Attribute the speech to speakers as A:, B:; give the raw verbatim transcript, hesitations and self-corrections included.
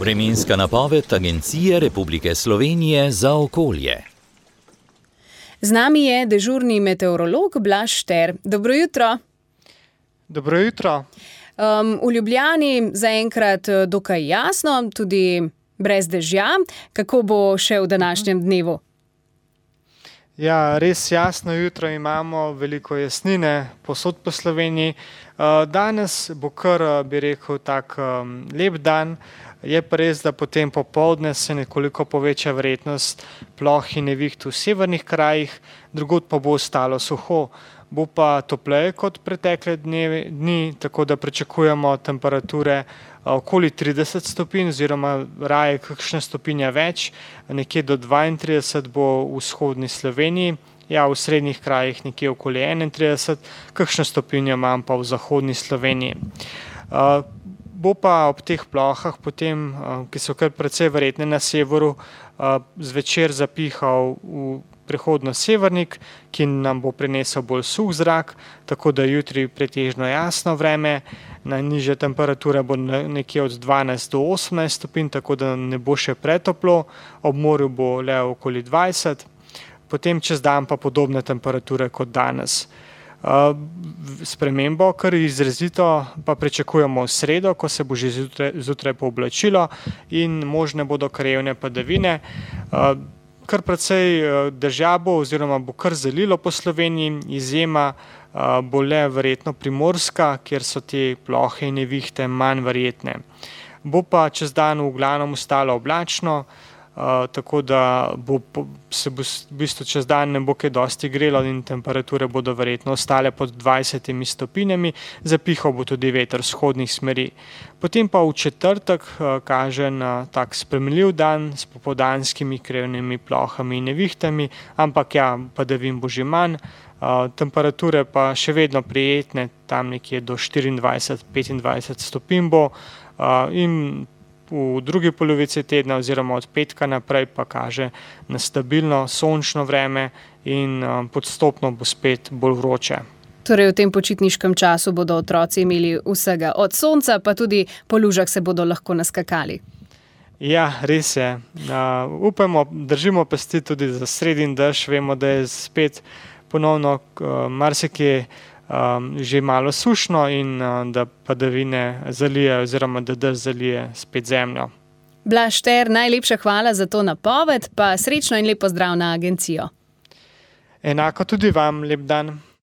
A: Vremenska napoved Agencije Republike Slovenije za okolje.
B: Z nami je dežurni meteorolog Blaž Šter. Dobro jutro.
C: Dobro jutro.
B: Um, v Ljubljani zaenkrat dokaj jasno, tudi brez dežja. Kako bo še v današnjem dnevu?
C: Ja, res jasno jutro imamo, veliko jasnine povsod po Sloveniji. Danes bo kar, bi rekel, tak lep dan. Je pa res, da potem popoldne se nekoliko poveča verjetnost ploh in neviht v severnih krajih, drugod pa bo ostalo suho. Bo pa topleje kot pretekle dnevi, dni, tako da pričakujemo temperature okoli trideset stopinj oziroma raje kakšne stopinje več, nekje do dvaintrideset bo v vzhodni Sloveniji, ja, v srednjih krajih nekje okoli enaintrideset, kakšne stopinje imam pa v zahodni Sloveniji. Bo pa ob teh plohah potem, ki so kar precej verjetne na severu, zvečer zapihal v prehodno severnik, ki nam bo prinesel bolj suh zrak, tako da jutri pretežno jasno vreme, najnižje temperature bo nekje od dvanajst do osemnajst stopinj, tako da ne bo še pretoplo, ob morju bo le okoli dvajset, potem čez dan pa podobne temperature kot danes. Spremembo, kar izrazito pa pričakujemo v sredo, ko se bo že zjutraj pooblačilo in možne bodo krajevne padavine. Kar precej dežja bo oziroma bo kar zalilo po Sloveniji, izjema bo le verjetno Primorska, kjer so te plohe in nevihte manj verjetne. Bo pa čez dan v glavnem ostalo oblačno, tako da bo, se bo v bistvu čez dan ne bo kaj dosti grelo in temperature bodo verjetno ostale pod dvajsetimi stopinjami, zapihal bo tudi veter vzhodnih smeri. Potem pa v četrtek kaže na tak sprejemljiv dan s popoldanskimi krajevnimi plohami in nevihtami, ampak ja, padavin bo že manj, temperature pa še vedno prijetne, tam nekje do štiriindvajset do petindvajset stopinj bo in v drugi polovici tedna oziroma od petka naprej pa kaže na stabilno sončno vreme in postopno bo spet bolj vroče.
B: Torej v tem počitniškem času bodo otroci imeli vsega od sonca, pa tudi po lužah se bodo lahko naskakali.
C: Ja, res je. Uh, upamo, držimo pesti tudi za sredin dež, vemo, da je spet ponovno uh, marsikje Um, že malo sušno in uh, da padavine zalije oziroma da dež zalije spet zemljo.
B: Blaž Šter, najlepša hvala za to napoved, pa srečno in lep pozdrav na agencijo.
C: Enako tudi vam, lep dan.